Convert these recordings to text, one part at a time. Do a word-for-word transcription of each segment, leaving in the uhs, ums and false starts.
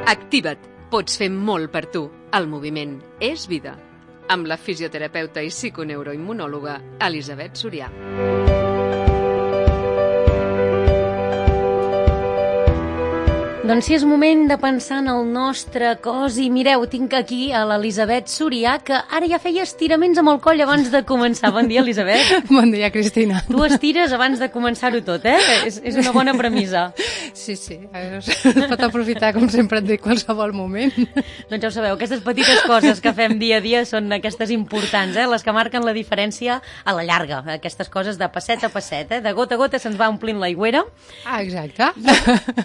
Activa't. Pots fer molt per tu. El moviment és vida. Amb la fisioterapeuta i psiconeuroimmunòloga Elisabet Sorià. Doncs sí, és moment de pensar en el nostre cos i mireu, tinc aquí a l'Elisabet Sorià, que ara ja feia estiraments amb el coll abans de començar. Bon dia, Elisabet. Bon dia, Cristina. Tu estires abans de començar-ho tot, eh? És, és una bona premissa. Sí, sí, es pot aprofitar, com sempre et dic, qualsevol moment. Doncs ja ho sabeu, aquestes petites coses que fem dia a dia són aquestes importants, eh? Les que marquen la diferència a la llarga. Aquestes coses de passet a passet, eh? De gota a gota se'ns va omplint l'aigüera. Ah, exacte.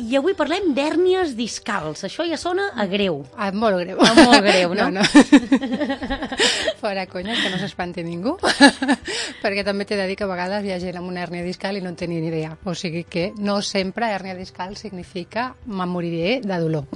I, i avui parlem de hèrnies discals. Això ja sona a greu. Ah, molt greu. Ah, molt greu, no? No, no. Fora conya, que no s'espanti ningú. Perquè també t'he de dir que a vegades hi ha gent amb una hèrnia discal i no en té ni idea. O sigui que no sempre hèrnia discal significa me'n moriré de dolor.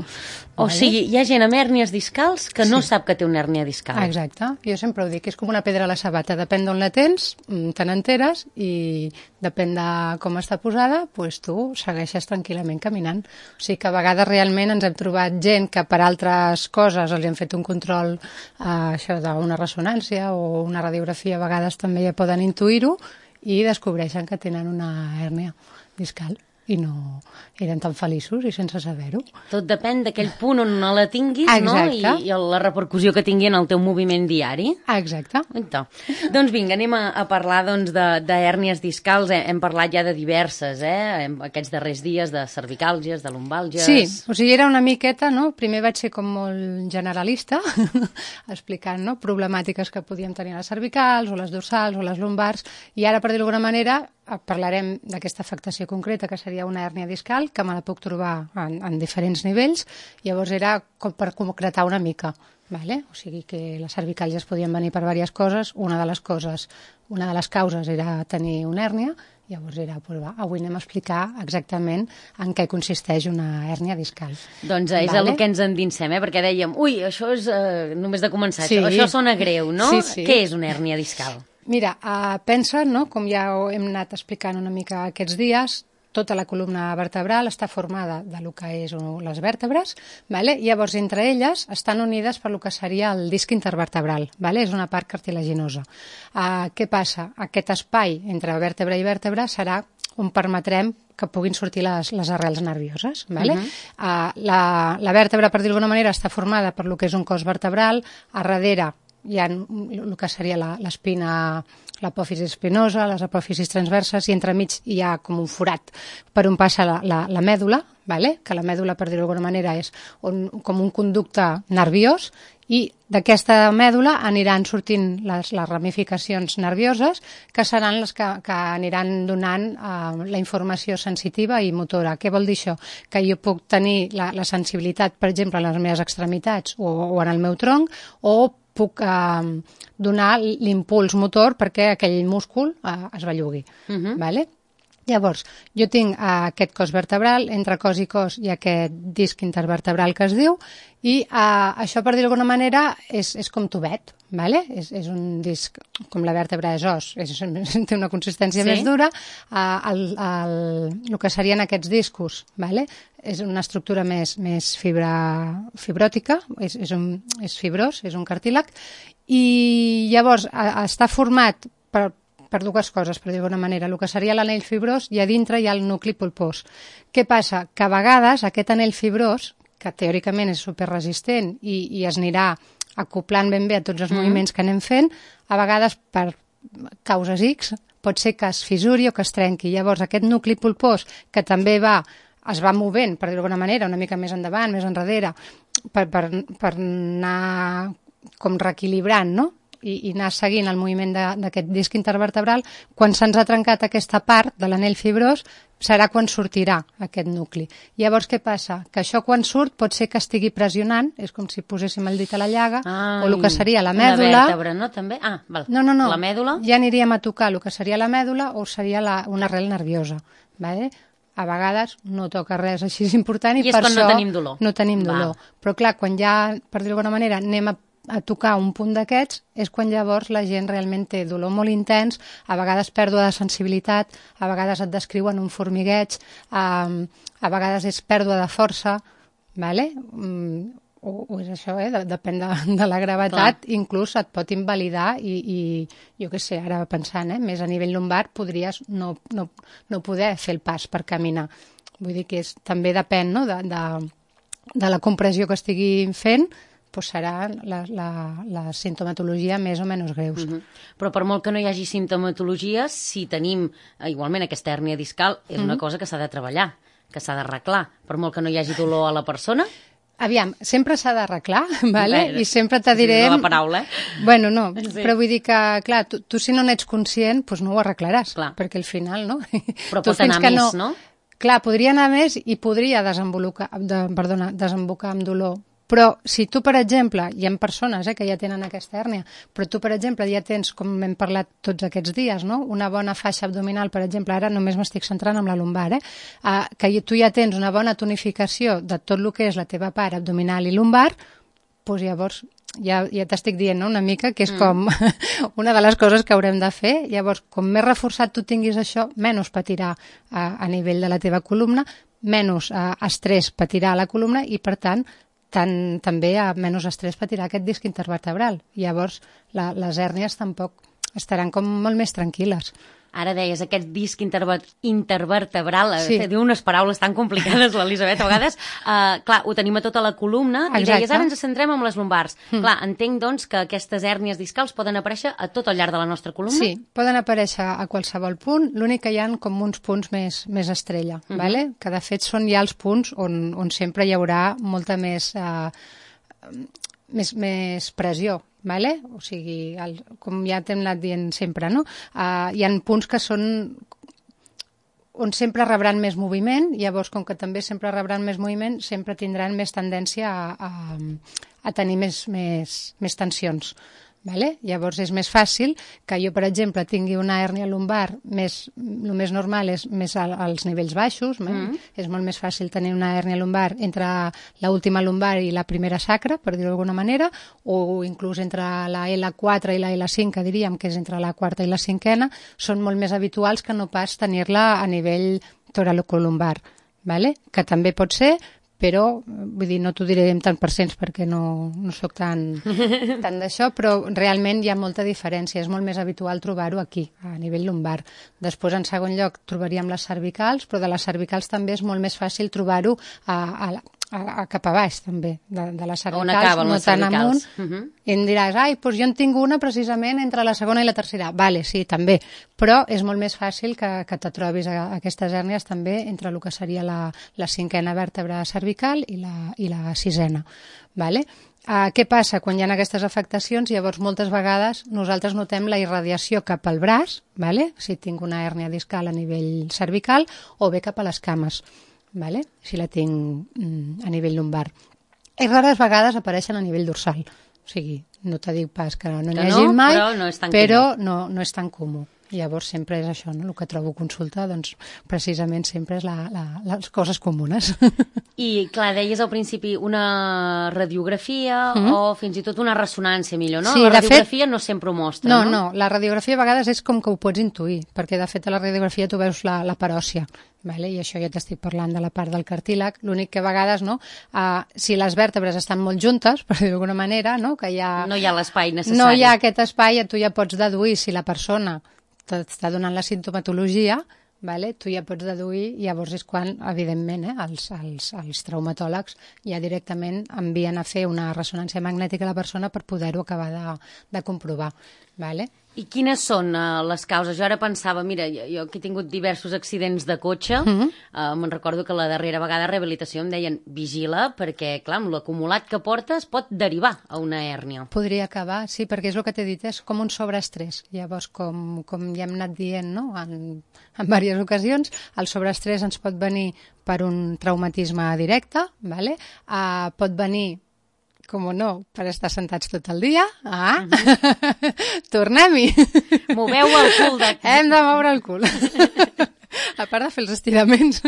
O vale? Sigui, hi ha gent amb hèrnies discals que no sí. sap que té una hèrnia discal. Ah, exacte. Jo sempre ho dic, és com una pedra a la sabata. Depèn d'on la tens, te n'enteres i depèn de com està posada, doncs tu segueixes tranquil·lament caminant. O sigui que a vegades realment ens hem trobat gent que per altres coses els hem fet un control eh, això d'una ressonància o una radiografia, a vegades també ja poden intuir-ho i descobreixen que tenen una hèrnia discal i no eren tan feliços i sense saber-ho. Tot depèn d'aquell punt on no la tinguis, no? I, i la repercussió que tingui en el teu moviment diari. Exacte. Exacte. Doncs vinga, anem a, a parlar doncs, de, de hèrnies discals. Hem parlat ja de diverses, eh? Aquests darrers dies, de cervicàlgies, de lumbàlgies... Sí, o sigui, era una miqueta, no? Primer vaig ser com molt generalista, explicant, no?, problemàtiques que podíem tenir a les cervicals, o les dorsals, o les lumbars, i ara, per dir-ho d'alguna manera, parlarem d'aquesta afectació concreta, que seria una hèrnia discal, que me la puc trobar en, en diferents nivells. Llavors era com per concretar una mica, vale? O sigui que les cervicàlgies podien venir per diverses coses. Una de les coses, una de les causes era tenir una hèrnia. Llavors era, pues va, avui anem a explicar exactament en què consisteix una hèrnia discal. Doncs és vale? El que ens endinsem, eh? Perquè dèiem, ui, això és eh, només de començar, sí. això, això sona greu, no? Sí, sí. Què és una hèrnia discal? Mira, uh, pensa, no?, com ja hem anat explicant una mica aquests dies, tota la columna vertebral està formada de lo que és les vèrtebres, vale? Llavors entre elles estan unides per lo que seria el disc intervertebral, vale? És una part cartilaginosa. Uh, què passa? Aquest espai entre vèrtebra i vèrtebra serà on permetrem que puguin sortir les, les arrels nervioses. Vale? Uh-huh. uh, la, la vèrtebra, per dir-ho d'alguna manera, està formada per lo que és un cos vertebral, a darrere hi ha el que seria l'espina, l'apòfisi espinosa, les apòfisis transverses, i entremig hi ha com un forat per on passa la, la, la mèdula, vale? Que la mèdula, per dir-ho d'alguna manera, és un, com un conducte nerviós, i d'aquesta mèdula aniran sortint les, les ramificacions nervioses, que seran les que, que aniran donant eh, la informació sensitiva i motora. Què vol dir això? Que jo puc tenir la, la sensibilitat, per exemple, en les meves extremitats o, o en el meu tronc, o puc eh, donar l'impuls motor perquè aquell múscul eh, es bellugui. Uh-huh. Vale? Llavors, jo tinc eh, aquest cos vertebral, entre cos i cos hi ha aquest disc intervertebral que es diu, i eh, això, per dir d'alguna manera, és, és com tubet, vale? és, és un disc, com la vèrtebra és os, és, té una consistència sí? més dura, eh, el, el, el que serien aquests discos, vale? És una estructura més, més fibra, fibròtica, és, és, un, és fibrós, és un cartílag, i llavors a, a, està format per, per dues coses, per dir-ho d'una manera. El que seria l'anell fibrós, i a dintre hi ha el nucli pulpós. Què passa? Que a vegades aquest anell fibrós, que teòricament és superresistent i, i es anirà acoplant ben bé a tots els mm. moviments que anem fent, a vegades per causes X pot ser que es fissuri o que es trenqui. Llavors aquest nucli pulpós, que també va es va movent, per dir-ho d'alguna manera, una mica més endavant, més enrere, per, per, per anar com reequilibrant, no? I, i anar seguint el moviment d'aquest disc intervertebral. Quan se'ns ha trencat aquesta part de l'anell fibrós, serà quan sortirà aquest nucli. Llavors, què passa? Que això quan surt pot ser que estigui pressionant, és com si poséssim el dit a la llaga, Ai, o el que seria la mèdula... Una vèrtebra, no? També? Ah, val. No, no, no. La mèdula? Ja aniríem a tocar el que seria la mèdula o seria la, una arrel nerviosa, vale? A vegades no toca res així important i, I per això això no tenim dolor. No tenim dolor. Però clar, quan ja, per dir-ho d'alguna manera, anem a, a tocar un punt d'aquests, és quan llavors la gent realment té dolor molt intens, a vegades pèrdua de sensibilitat, a vegades et descriuen un formigueig, a, a vegades és pèrdua de força, vale? Mm, o, o és això, eh? de, depèn de, de la gravetat, clar. Inclús et pot invalidar i, i jo què sé, ara pensant, eh? més a nivell lumbar podries no, no, no poder fer el pas per caminar. Vull dir que és, també depèn, no? de, de, de la compressió que estigui fent, doncs serà la, la, la sintomatologia més o menys greus. Uh-huh. Però per molt que no hi hagi sintomatologia, si tenim eh, igualment aquesta hèrnia discal, és uh-huh. una cosa que s'ha de treballar, que s'ha d'arreglar. Per molt que no hi hagi dolor a la persona... Aviam, sempre s'ha d'arreglar, vale? I sempre te diré... No la paraula, eh? Bueno, no, sí. Però vull dir que, clar, tu, tu si no n'ets conscient, doncs no ho arreglaràs, clar. Perquè al final, no? Però pot anar més, no... no? Clar, podria anar més i podria desembocar, de, perdona, desembocar amb dolor. Però si tu, per exemple, hi ha persones eh, que ja tenen aquesta hèrnia, però tu, per exemple, ja tens, com hem parlat tots aquests dies, no? Una bona faixa abdominal, per exemple, ara només m'estic centrant en la lumbar, eh? Uh, que tu ja tens una bona tonificació de tot el que és la teva part abdominal i lumbar, doncs llavors ja, ja t'estic dient, no? Una mica que és mm. com una de les coses que haurem de fer. Llavors, com més reforçat tu tinguis això, menys patirà uh, a nivell de la teva columna, menys uh, estrès patirà a la columna i, per tant, tant, també a menys estrès patirà aquest disc intervertebral. Llavors, la, les hèrnies tampoc estaran com molt més tranquil·les. Ara deies, aquest disc interver intervertebral, sí. Diu unes paraules tan complicades, l'Elisabet, a vegades. Uh, clar, ho tenim a tota la columna, exacte. I deies, ara ens centrem en les lumbars. Mm. Clar, entenc, doncs, que aquestes hèrnies discals poden aparèixer a tot al llarg de la nostra columna? Sí, poden aparèixer a qualsevol punt, l'únic que hi ha com uns punts més, més estrella, mm -hmm. vale? Que de fet són ja els punts on, on sempre hi haurà molta més, uh, més, més pressió. Vale? O sigui, el, com ja t'hem anat dient sempre, no? Uh, hi ha punts que són on sempre rebran més moviment, llavors com que també sempre rebran més moviment, sempre tindran més tendència a, a, a tenir més, més, més tensions. Vale? Llavors és més fàcil que jo, per exemple, tingui una hèrnia lumbar més, el més normal és més al, als nivells baixos, mm. és molt més fàcil tenir una hèrnia lumbar entre l'última lumbar i la primera sacra, per dir-ho d'alguna manera, o inclús entre la L quatre i la L cinc, que diríem que és entre la quarta i la cinquena, són molt més habituals que no pas tenir-la a nivell toracolumbar, vale? Que també pot ser, però, vull dir, no t'ho diré en tant per cents perquè no, no sóc tan, tan d'això, però realment hi ha molta diferència. És molt més habitual trobar-ho aquí, a nivell lumbar. Després, en segon lloc, trobaríem les cervicals, però de les cervicals també és molt més fàcil trobar-ho a, a, a, a cap a baix, també, de, de les cervicals. On acaben no les cervicals? Amunt, uh -huh. I em diràs, ai, doncs jo en tinc una precisament entre la segona i la tercera. Vale, sí, també, però és molt més fàcil que, que te trobis a, a aquestes hèrnies també entre el que seria la, la cinquena vèrtebra cervical i la, i la sisena. Vale? Uh, què passa quan hi ha aquestes afectacions? Llavors, moltes vegades nosaltres notem la irradiació cap al braç, vale? Si tinc una hèrnia discal a nivell cervical, o bé cap a les cames, vale? Si la tinc mm, a nivell lumbar. I rares vegades apareixen a nivell dorsal. O sigui, no te dic pas que no n'hi hagi no, mai, però, no és, tan però no, no és tan comú. Llavors sempre és això, no? El que trobo a consulta, doncs precisament sempre és la, la, les coses comunes. I clar, deies al principi una radiografia mm -hmm. o fins i tot una ressonància millor, no? Sí, la radiografia fet, no sempre ho mostra, no? No, no, la radiografia a vegades és com que ho pots intuir, perquè de fet a la radiografia tu veus la, la paròssia, vale? I això ja t'estic parlant de la part del cartílag, l'únic que a vegades, no? Uh, si les vèrtebres estan molt juntes, per dir d'alguna manera, no? Que hi ha, no hi ha l'espai necessari. No hi ha aquest espai, tu ja pots deduir si la persona t'està donant la sintomatologia, vale? Tu ja pots deduir, llavors és quan, evidentment, eh, els, els, els traumatòlegs ja directament envien a fer una ressonància magnètica a la persona per poder-ho acabar de, de comprovar. Vale? I quines són uh, les causes? Jo ara pensava, mira, jo, jo que he tingut diversos accidents de cotxe, mm -hmm. uh, me'n recordo que la darrera vegada a rehabilitació em deien vigila, perquè, clar, amb l'acumulat que portes pot derivar a una hèrnia. Podria acabar, sí, perquè és el que t'he dit, és com un sobreestrès. Llavors, com, com ja hem anat dient, no?, en, en diverses ocasions, el sobreestrès ens pot venir per un traumatisme directe, vale? uh, pot venir com no, per estar sentats tot el dia. Ah, uh -huh. Tornem-hi. Moveu el cul d'aquí. Hem de moure el cul. A part de fer els estiraments.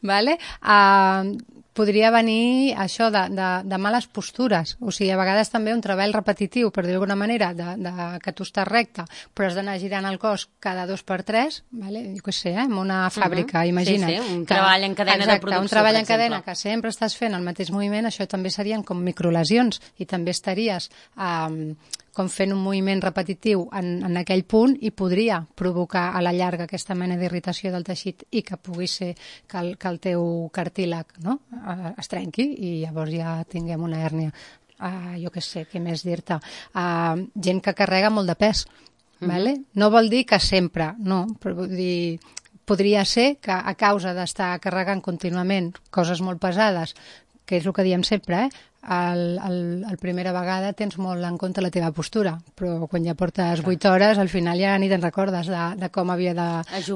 Vale? Uh, podria venir això de, de, de males postures, o sigui, a vegades també un treball repetitiu, per dir d'alguna manera, de, de, que tu estàs recte, però has d'anar girant el cos cada dos per tres, vale? Jo què sé, eh? En una fàbrica, uh-huh. imagina't. Sí, sí, un que, treball en cadena exacte, de producció, un treball en cadena que sempre estàs fent el mateix moviment, això també serien com microlesions, i també estaries eh, com fent un moviment repetitiu en, en aquell punt i podria provocar a la llarga aquesta mena d'irritació del teixit i que pugui ser que el, que el teu cartílag, no? es trenqui i llavors ja tinguem una hèrnia. Uh, jo què sé, què més dir-te? Uh, gent que carrega molt de pes, mm-hmm. vale? No vol dir que sempre, no, però vull dir, podria ser que a causa d'estar carregant contínuament coses molt pesades, que és el que diem sempre, eh? El, el, el primera vegada tens molt en compte la teva postura, però quan ja portes vuit hores, al final ja ni te'n recordes de, de com havia de,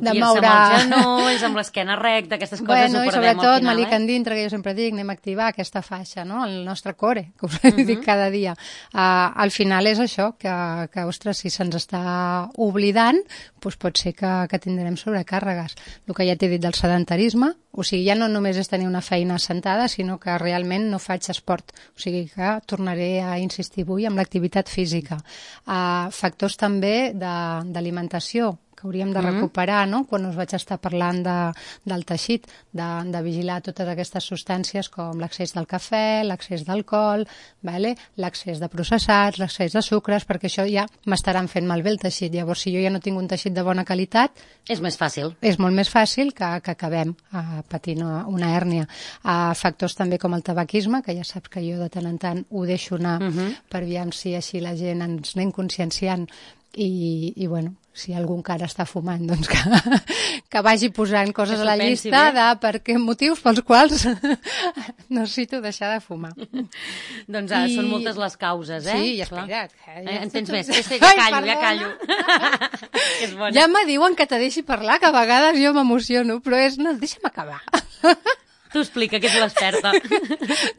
de moure... Ajupir-se amb els genolls, amb l'esquena recta, aquestes coses bueno, ho perdem sobretot, al final. Malic eh? Endintre, que jo sempre dic, anem a activar aquesta faixa, no? El nostre core, que us uh-huh. dic cada dia. Uh, al final és això, que, que ostres, si se'ns està oblidant, doncs pot ser que, que tindrem sobrecàrregues. El que ja t'he dit del sedentarisme, o sigui, ja no només és tenir una feina sentada, sinó que realment no faig esport. O sigui que tornaré a insistir avui amb l'activitat física. Uh, factors també d'alimentació, que hauríem de recuperar, no? Quan us vaig estar parlant de, del teixit, de, de vigilar totes aquestes substàncies com l'accés del cafè, l'accés d'alcohol, vale? L'accés de processats, l'accés de sucres, perquè això ja m'estaran fent malbé el teixit. Llavors, si jo ja no tinc un teixit de bona qualitat... És més fàcil. És molt més fàcil que, que acabem uh, patint una, una hèrnia. Uh, factors també com el tabaquisme, que ja saps que jo de tant en tant ho deixo anar uh-huh. per veure si així la gent ens anem conscienciant i, i bueno, si algú encara està fumant, doncs que, que vagi posant coses a la llista de per què motius pels quals necessito deixar de fumar. Doncs ara I... són moltes les causes, eh? Sí, i espera't. Eh, ja en tens més? Sí, sí, ja callo, Ai, ja callo. És bona. Ja me diuen que te deixi parlar, que a vegades jo m'emociono, però és, no, deixa'm acabar. Tu explica, que ets l'experta.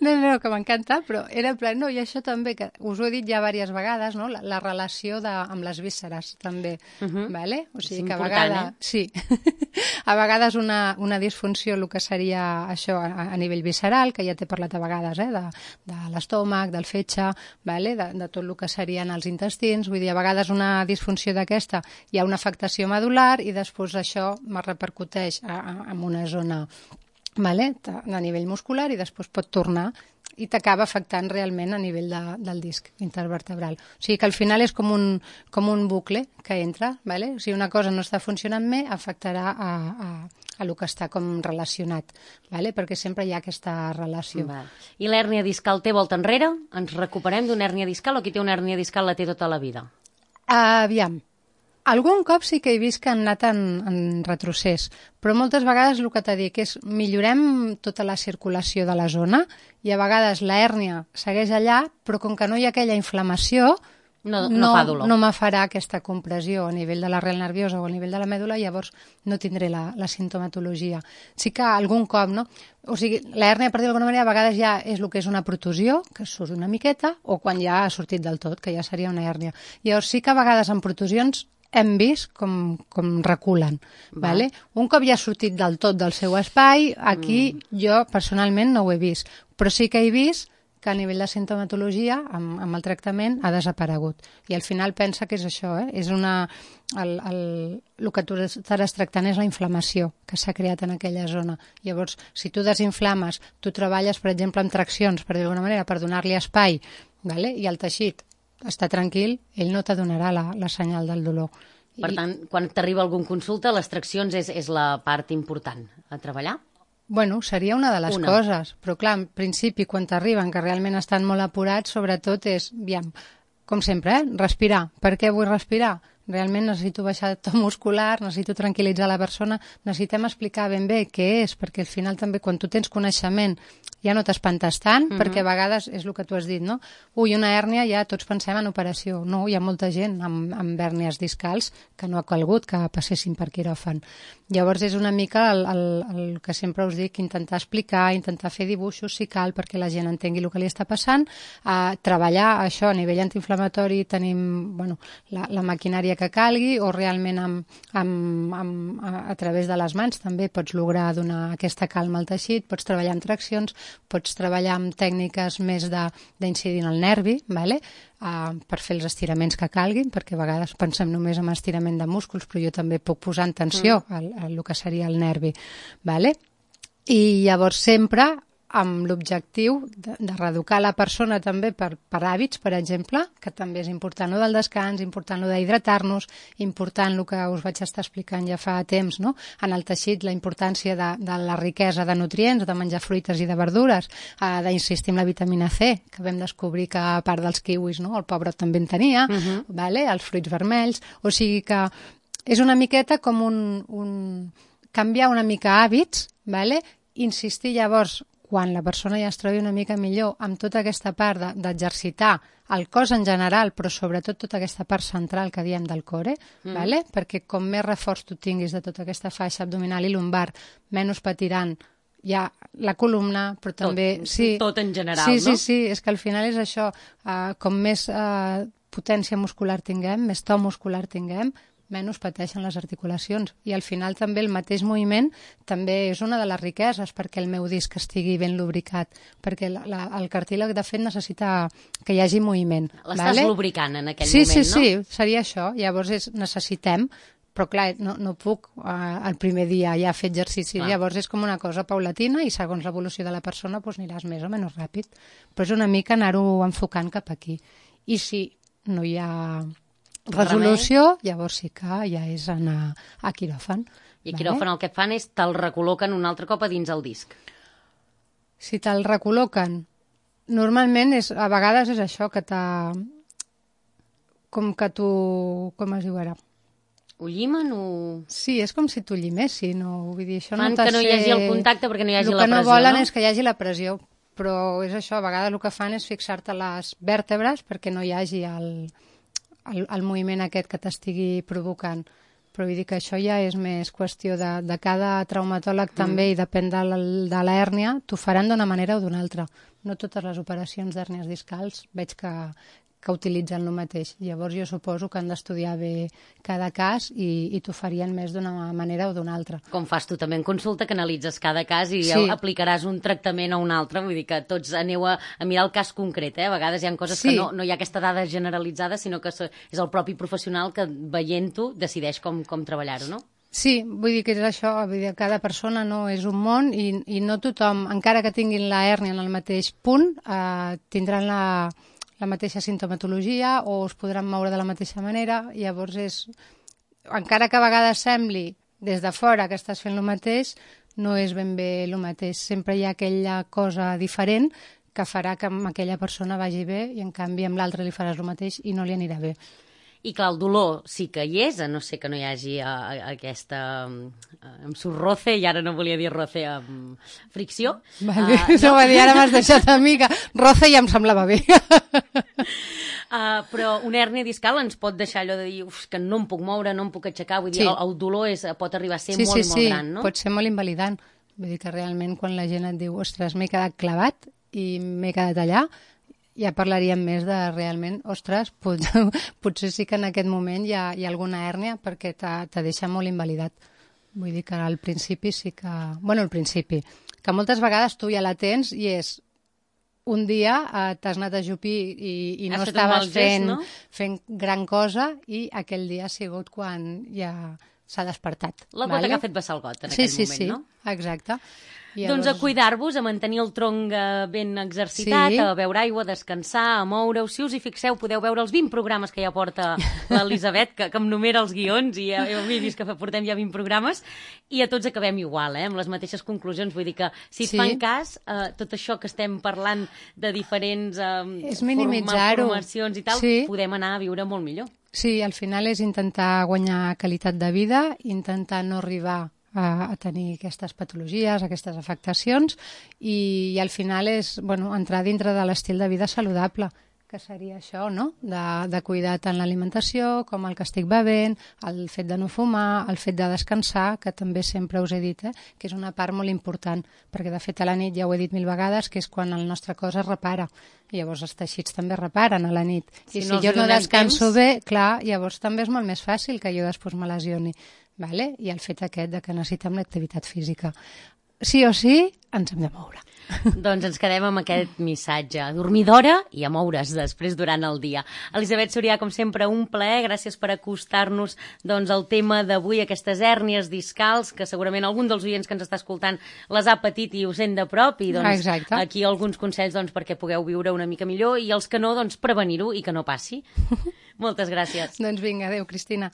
No, no, que m'encanta, però era en plan, no, i això també, que us ho he dit ja diverses vegades, no? La, la relació de, amb les vísceres, també, uh-huh. vale? O sigui, és que a vegades... Eh? Sí. A vegades una, una disfunció, el que seria això a, a nivell visceral, que ja t'he parlat a vegades, eh? De, de l'estómac, del fetge, vale? de, de tot el que serien els intestins, vull dir, a vegades una disfunció d'aquesta hi ha una afectació medular i després això me repercuteix a, a, en una zona... Vale? A nivell muscular i després pot tornar i t'acaba afectant realment a nivell de, del disc intervertebral. O sigui que al final és com un, com un bucle que entra, vale? O sigui, una cosa no està funcionant bé, afectarà a, a, a lo que està com relacionat, vale? Perquè sempre hi ha aquesta relació. Va. I l'hèrnia discal té volta enrere? Ens recuperem d'una hèrnia discal o qui té una hèrnia discal la té tota la vida? Uh, aviam. Algun cop sí que he vist que han anat en, en retrocés, però moltes vegades el que t'he dit és millorem tota la circulació de la zona i a vegades la hèrnia segueix allà, però com que no hi ha aquella inflamació, no, no, no fa dolor. No me farà aquesta compressió a nivell de l'arrel nerviosa o a nivell de la mèdula, llavors no tindré la, la sintomatologia. Sí que algun cop, no? O sigui, la hèrnia, per dir d'alguna manera, a vegades ja és el que és una protusió, que surt una miqueta, o quan ja ha sortit del tot, que ja seria una hèrnia. Llavors sí que a vegades en protusions hem vist com, com reculen. Va. Vale? Un cop ja ha sortit del tot del seu espai, aquí mm. jo personalment no ho he vist, però sí que he vist que a nivell de sintomatologia, amb, amb el tractament, ha desaparegut. I al final pensa que és això, eh? És una... El, el, el que tu estaràs tractant és la inflamació que s'ha creat en aquella zona. Llavors, si tu desinflames, tu treballes, per exemple, amb traccions, per dir d'alguna manera, per donar-li espai, vale? I el teixit està tranquil, ell no te donarà la, la senyal del dolor. Per I... tant, quan t'arriba algun consulta, les traccions és, és la part important a treballar? Bueno, seria una de les una. coses, però clar, en principi, quan t'arriben, que realment estan molt apurats, sobretot és, aviam, com sempre, eh? respirar. Per què vull respirar? Realment necessito baixar to muscular, necessito tranquil·litzar la persona, necessitem explicar ben bé què és, perquè al final també quan tu tens coneixement ja no t'espantes tant, mm-hmm. perquè a vegades és el que tu has dit, no? Ui, una hèrnia, ja tots pensem en operació. No, hi ha molta gent amb, amb hèrnies discals que no ha calgut que passessin per quiròfan. Llavors és una mica el, el, el que sempre us dic, intentar explicar, intentar fer dibuixos si cal perquè la gent entengui el que li està passant, a treballar això a nivell antiinflamatori, tenim bueno, la, la maquinària que calgui, o realment amb, amb, amb, a, a través de les mans també pots lograr donar aquesta calma al teixit, pots treballar amb traccions, pots treballar amb tècniques més d'incidir en el nervi, vale? uh, per fer els estiraments que calguin, perquè a vegades pensem només en estirament de músculs, però jo també puc posar en tensió mm. el, el, el que seria el nervi. Vale? I llavors sempre amb l'objectiu de, de reeducar la persona també per, per hàbits, per exemple, que també és important lo del descans, important lo d'hidratar-nos, important el que us vaig estar explicant ja fa temps, no? En el teixit, la importància de, de la riquesa de nutrients, de menjar fruites i de verdures, eh, d'insistir en la vitamina C, que vam descobrir que a part dels kiwis, no? El pobre també en tenia, uh-huh. vale? Els fruits vermells, o sigui que és una miqueta com un, un canviar una mica hàbits, vale? Insistir llavors quan la persona ja es trobi una mica millor amb tota aquesta part d'exercitar el cos en general, però sobretot tota aquesta part central que diem del core, mm. vale? Perquè com més reforç tu tinguis de tota aquesta faixa abdominal i lumbar, menys patiran ja la columna, però també... Tot, sí, tot en general, sí, no? Sí, sí, és que al final és això, uh, com més uh, potència muscular tinguem, més to muscular tinguem, menys pateixen les articulacions. I al final també el mateix moviment també és una de les riqueses perquè el meu disc estigui ben lubricat, perquè la, la, el cartílag de fet necessita que hi hagi moviment. L'estàs vale? lubricant en aquell sí, moment, sí, no? Sí, sí, seria això. Llavors és, necessitem, però clar, no, no puc uh, el primer dia ja fer exercici, clar. Llavors és com una cosa paulatina i segons l'evolució de la persona doncs aniràs més o menys ràpid. Però és una mica anar-ho enfocant cap aquí. I si no hi ha resolució, llavors sí que ja és anar a quiròfan. I a quiròfan el que fan és te'l recol·loquen un altre cop a dins el disc. Si te'l recol·loquen, normalment és, a vegades és això, que t'ha... com que tu... com es diu ara? Ho llimen o...? Sí, és com si t'ho llimessin, no? Vull dir, això fan no que no hi hagi el contacte perquè no hi hagi la pressió, no? El que no volen és que hi hagi la pressió, però és això, a vegades el que fan és fixar-te les vèrtebres perquè no hi hagi el... El, el moviment aquest que t'estigui provocant. Però vull dir que això ja és més qüestió de, de cada traumatòleg mm. també, i depèn de, de l'hèrnia, t'ho faran d'una manera o d'una altra. No totes les operacions d'hèrnies discals veig que, que utilitzen el mateix. Llavors jo suposo que han d'estudiar bé cada cas i, i t'ho farien més d'una manera o d'una altra. Com fas tu també en consulta, que analitzes cada cas i sí. aplicaràs un tractament o un altre, vull dir que tots aneu a, a mirar el cas concret, eh? A vegades hi ha coses sí. que no, no hi ha aquesta dada generalitzada, sinó que és el propi professional que veient-ho decideix com, com treballar-ho, no? Sí, vull dir que és això, vull dir, cada persona no és un món i, i no tothom, encara que tinguin la hèrnia en el mateix punt, eh, tindran la... la mateixa sintomatologia o es podran moure de la mateixa manera. Llavors és, encara que a vegades sembli des de fora que estàs fent el mateix, no és ben bé el mateix. Sempre hi ha aquella cosa diferent que farà que amb aquella persona vagi bé i en canvi amb l'altre li faràs el mateix i no li anirà bé. I clar, el dolor sí que hi és, a no ser que no hi hagi a, a, aquesta amb um, roce, i ara no volia dir roce amb um, fricció. Vale, uh, no, no va dir, ara m'has deixat a mi que roce ja em semblava bé. uh, però una hèrnia discal ens pot deixar allò de dir uf, que no em puc moure, no em puc aixecar, vull dir, sí. el, el dolor és, pot arribar a ser sí, molt sí, i molt sí. gran, no? Pot ser molt invalidant. Vull dir que realment quan la gent et diu ostres, m'he quedat clavat i m'he quedat allà, ja parlaríem més de realment, ostres, pot, potser sí que en aquest moment hi ha, hi ha alguna hèrnia perquè te deixa molt invalidat. Vull dir que al principi sí que... Bueno, al principi, que moltes vegades tu ja la tens i és un dia eh, t'has anat a jupir i, i no estaves fent, gest, no? fent gran cosa i aquell dia ha sigut quan ja s'ha despertat. La gota vale? Que ha fet vessar el got en sí, aquell sí, moment, sí. no? Exacte. Llavors... Doncs a cuidar-vos, a mantenir el tronc ben exercitat, sí. a beure aigua, a descansar, a moure-ho. Si us hi fixeu, podeu veure els vint programes que ja porta l'Elisabet, que, que em numera els guions, i ja heu vist que portem ja vint programes, i a tots acabem igual, eh, amb les mateixes conclusions. Vull dir que, si sí. fan cas, eh, tot això que estem parlant de diferents eh, formacions i tal, sí. podem anar a viure molt millor. Sí, al final és intentar guanyar qualitat de vida, intentar no arribar a, a tenir aquestes patologies, aquestes afectacions i, i al final és bueno, entrar dintre de l'estil de vida saludable, que que seria això, no? De, de cuidar tant l'alimentació com el que estic bevent, el fet de no fumar, el fet de descansar, que també sempre us he dit, eh? Que és una part molt important, perquè de fet a la nit ja ho he dit mil vegades, que és quan el nostre cos es repara. I llavors els teixits també reparen a la nit. I si, si no jo no descanso temps... bé, clar, llavors també és molt més fàcil que jo després me lesioni. Vale? I el fet aquest de que necessitem l'activitat física. Sí o sí, ens hem de moure. Doncs ens quedem amb aquest missatge. Dormir d'hora i a moure's després durant el dia. Elisabet Sorià, com sempre, un plaer. Gràcies per acostar-nos doncs, al tema d'avui, aquestes hèrnies discals, que segurament algun dels oients que ens està escoltant les ha patit i ho sent de prop. I doncs, Exacte. Aquí alguns consells doncs, perquè pugueu viure una mica millor i els que no, doncs, prevenir-ho i que no passi. Moltes gràcies. Doncs vinga, adéu, Cristina.